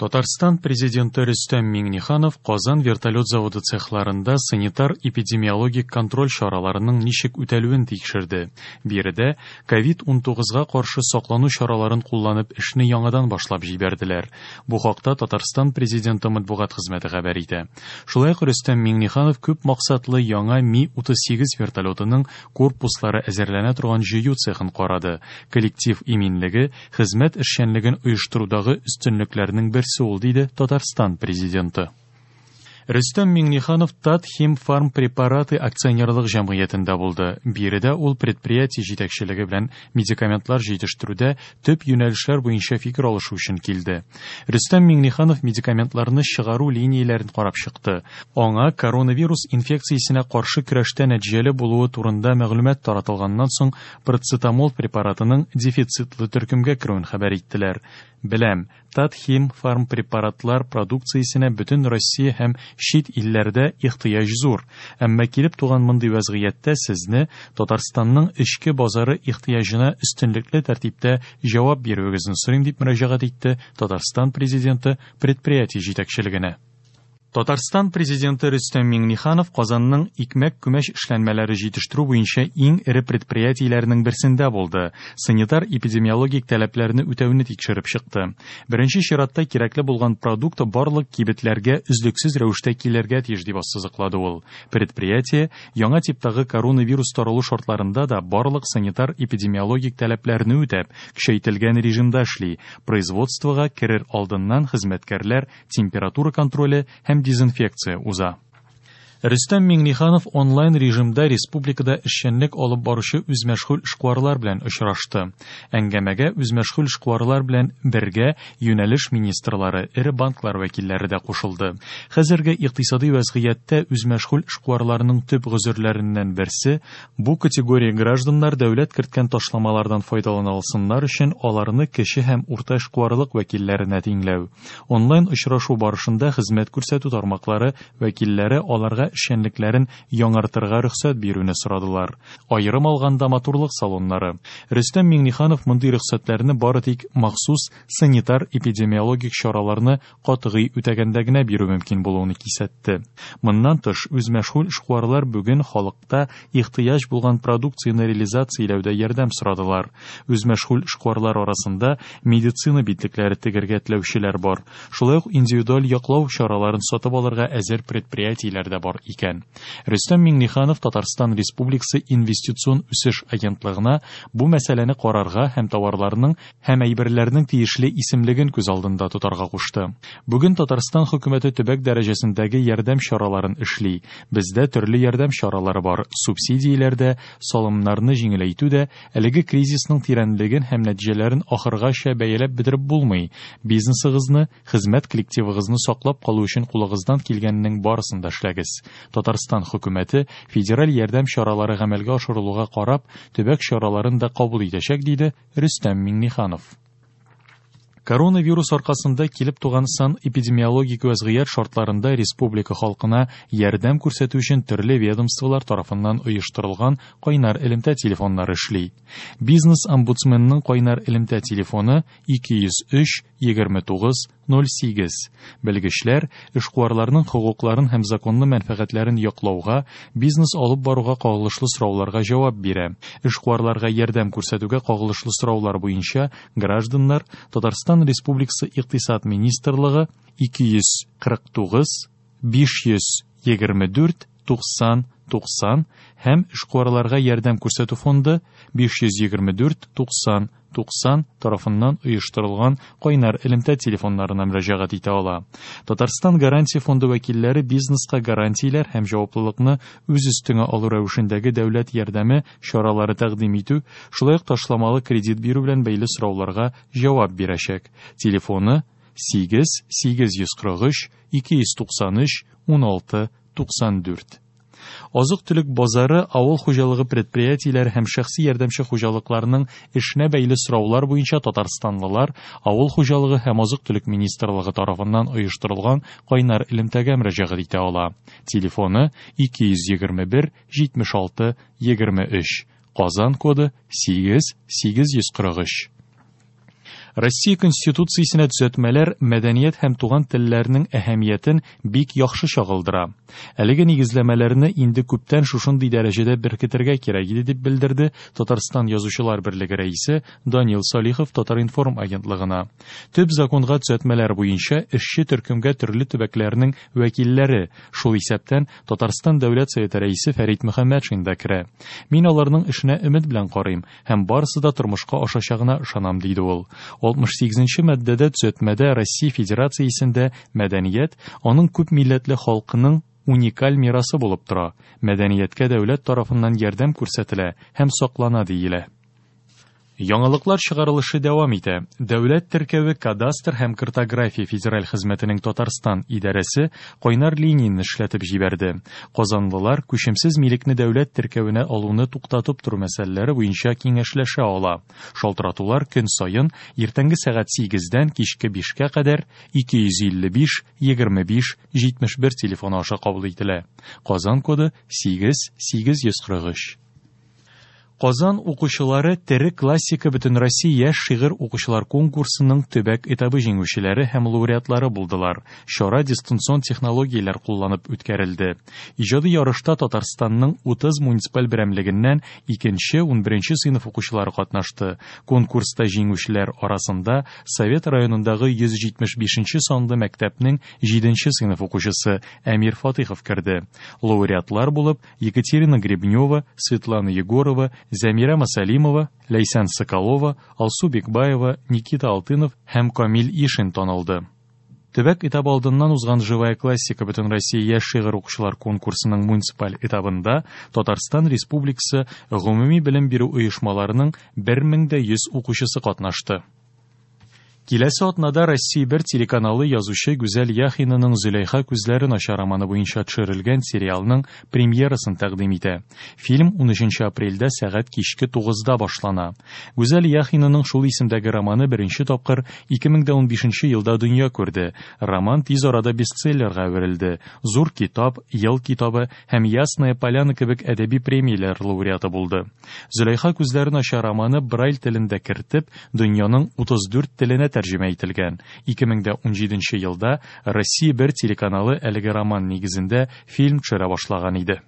Татарстан Президенты Рөстәм Миңнеханов Казан вертолет заводы цехларында санитар-эпидемиологик контроль чараларының ничек үтәлүен тикшерде. Биредә ковид-19 га каршы саклану чараларын кулланып эшне яңадан башлап җибәрделәр. Бу хакта Татарстан Президенты матбугат хезмәте хәбәр итә. Шулай ук Рөстәм Миңнеханов күп максатлы яңа Ми-38 вертолетының корпуслары әзерләнә торган җыю цехын карады. Коллектив иминлеге, хезмәт эшчәнлеген оештырудагы өстенлекләрнең берсе ул, диде Татарстан Президенты. Рөстәм Миңнеханов Татхимфармпрепараты акционерлык җәмгыятендә булды. Биредә ул предприятие җитәкчелеге белән медикаментлар җитештерүдә төп юнәлешләр буенча фикер алышу өчен килде. Рөстәм Миңнеханов медикаментларны чыгару линияләрен карап чыкты. Аңа коронавирус инфекциясенә каршы көрәштә нәтиҗәле булуы турында мәгълүмат таратылганнан соң парацетамол препаратының дефицитлы төркемгә керүен хәбәр иттеләр. Беләм, Татхимфармпрепаратлар продукциясенә бөтен Россия һәм чит илләрдә ихтыяҗ зур. Әмма килеп туган мондый вәзгыятьтә сезне Татарстанның эчке базары ихтыяҗына өстенлекле тәртиптә җавап бирүегезне сорыйм, дип мөрәҗәгать итте Татарстан Президенты предприятие җитәкчелегенә. Татарстан Президенты Рөстәм Миңнеханов Казанның икмәк-күмәч эшләнмәләре җитештерү буенча иң эре предприятиеләренең берсендә булды, санитар-эпидемиологик таләпләрне үтәүне тикшереп чыкты. Беренче чиратта кирәкле булган продукт барлык кибетләргә өзлексез рәвештә килергә тиеш, дип ассызыклады ул. Предприятие яңа типтагы коронавирус таралу шартларында да барлык санитар-эпидемиологик таләпләрне үтәп, көчәйтелгән режимда эшли. Производствога керер алдыннан хезмәткәрләр температура контроле һәм дезинфекция уза. Рөстәм Миңнеханов онлайн режимда республикада эшчәнлек алып баручы үзмәшгуль эшкуарлар белән очрашты. Әңгәмәгә үзмәшгуль эшкуарлар белән бергә юнәлеш министрлары, эре банклар вәкилләре дә кушылды. Хәзерге икътисади вәзгыятьтә үзмәшгуль эшкуарларның төп гозерләреннән берсе бу категория гражданнар дәүләт керткән ташламалардан файдалана алсыннар өчен аларны кече һәм урта эшкуарлык вәкилләренә тиңләү. Онлайн очрашу барышында хезмәт күрсәтү тармаклары вәкилләре аларга эшчәнлекләрен яңартырга рөхсәт бирүне сорадылар. Аерым алганда матурлык салоннары. Рөстәм Миңнеханов мондый рөхсәтләрне бары тик махсус санитар-эпидемиологик чараларны катгый үтәгәндә генә бирү мөмкин булуын кисәтте. Моннан тыш, үзмәшгуль эшкуарлар бүген халыкта ихтыяҗ булган продукцияне реализацияләүдә ярдәм сорадылар. Үзмәшгуль эшкуарлар арасында медицина битлекләре тегәргә теләүчеләр бар. Шулай ук индивидуаль яклау чараларын сатып алырга әзер предприятиеләр дә бар икән. Рөстәм Миңнеханов Татарстан Республикасы Инвестицион үсеш агентлыгына бу мәсьәләне карарга һәм товарларның һәм әйберләрнең тиешле исемлеген күз алдында тотарга кушты. Бүген Татарстан хөкүмәте төбәк дәрәҗәсендәге ярдәм чараларын эшли. Бездә төрле ярдәм чаралары бар. Субсидияләр дә, салымнарны җиңеләйтү дә, әлеге кризисның тирәнлеген һәм нәтиҗәләрен ахыргача бәяләп бетереп булмый. Бизнесыгызны, хезмәт коллективыгызны саклап калу өчен кулыгыздан килгәннең барысын да эшләгез. Татарстан хөкүмәте федераль ярдәм чаралары гамәлгә ашырылуга карап, төбәк чараларын да кабул итәчәк, диде Рөстәм Миңнеханов. Коронавирус аркасында килеп туган сан-эпидемиологик вәзгыять шартларында республика халкына ярдәм күрсәтү өчен төрле ведомстволар тарафыннан оештырылган кайнар элемтә телефоннары эшли. Бизнес-омбудсменның кайнар элемтә телефоны 203 29 08. Белгечләр эшкуарларның хокукларын һәм законлы мәнфәгатьләрен яклауга, бизнес алып баруга кагылышлы сорауларга җавап бирә. Эшкуарларга ярдәм күрсәтүгә кагылышлы сораулар буенча гражданнар Татарстан Республикасы Икътисад министрлыгы 249 524 90 90 һәм эшкуарларга ярдәм күрсәтү фонды 524 90 90 тарафыннан оештырылган кайнар элемтә телефоннарына мөрәҗәгать итә ала. Татарстан Гарантия фонды вәкилләре бизнеска гарантияләр һәм җаваплылыкны үз өстеңә алу рәвешендәге дәүләт ярдәме чаралары тәкъдим итү, шулай ук ташламалы кредит бирү белән бәйле сорауларга җавап бирәчәк. Телефоны 8 843 293 16 94. Азык-төлек базары авыл хуҗалыгы предприятиеләре һәм шәхси ярдәмче хуҗалыкларның эшенә бәйле сораулар буенча татарстанлылар Авыл хуҗалыгы һәм азык-төлек министрлыгы тарафыннан оештырылган кайнар элемтәгә мөрәҗәгать итә ала. Телефоны 221 76 23. Казан коды 8 843. Россия Конституциясенә төзәтмәләр мәдәният һәм туган телләрнең әһәмиятен бик яхшы чагылдыра. Әлеге нигезләмәләрне инде күптән шушындый дәрәҗәдә беркетергә кирәк иде, дип белдерде Татарстан Язучылар берлеге рәисе Данил Салихов Татар-информ агентлыгына. Төп законга төзәтмәләр буенча эшче төркемгә төрле төбәкләрнең вәкилләре, шул исәптән Татарстан Дәүләт Советы рәисе Фәрит Мөхәммәтшин да керә. Мин аларның эшенә өмет белән карыйм һәм барысы да тормышка ашачагына ышанам, диде ул. 68 нче маддәдә төзәтмәдә Россия Федерациясендә мәдәният, аның күп милләтле халкының уникаль мирасы булып тора, мәдәнияткә дәүләт тарафыннан ярдәм күрсәтелә һәм саклана диелә. Яңалыклар чыгарылышы дәвам итә. Дәүләт теркәве кадастр һәм картография федераль хезмәтенең Татарстан идарәсе кайнар линияне эшләтеп җибәрде. Казанлылар күчемсез милекне дәүләт теркәвенә алуны туктатып тору мәсьәләләре буенча киңәшләшә ала. Шалтыратулар көн саен иртәнге сәгать 8-дән кичке 5-кә кадәр 255 25 71 телефоны аша кабул ителә. Казан коды 8 843. Казан укучылары Тере классика Бөтенроссия яшь шигырь укучылар конкурсының төбәк этабы җиңүчеләре һәм лауреатлары булдылар. Чара дистанцион технологияләр кулланып үткәрелде. Иҗади ярышта Татарстанның 30 муниципаль берәмлегеннән 2-нче, 11 сыйныф укучылары катнашты. Конкурста җиңүчеләр арасында Совет районындагы 175 нче санлы мәктәпнең 7 нче сыйныф укучысы Әмир Фатыйхов керде. Лауреатлар булып Екатерина Гребнева, Светлана Егорова, Зәмирә Масалимова, Ләйсән Соколова, Алсу Бикбаева, Никита Алтынов һәм Камил Ишин танылды. Төбәк этабы алдыннан узган Живая классика Бөтенроссия яшь шигырь укучылар конкурсының муниципаль этабында Татарстан Республикасы гомуми белем бирү оешмаларының 1100 укучысы катнашты. Киләсе атнада Россия 1 телеканалы язучы Гүзәл Яхинаның Зөләйха күзләре начар романы буенча төшерелгән сериалның премьерасын тәкъдим итә. Фильм 13 апрельдә сәгать кичке 9-да башлана. Гүзәл Яхинаның шул исемдәге романы беренче тапкыр 2015 елда дөнья күрде. Роман тиз арада бестселлерга әверелде. Зур китап, ел китабы һәм Ясная поляна кебек әдәби премияләр лауреаты булды. Зөләйха күзләре начар романы Брайль телендә кертеп, дөньяның 34 теленә тәрҗемә ителгән. 2017 елда Россия 1 телеканалы әлеге роман нигезендә фильм төшерә башлаган иде.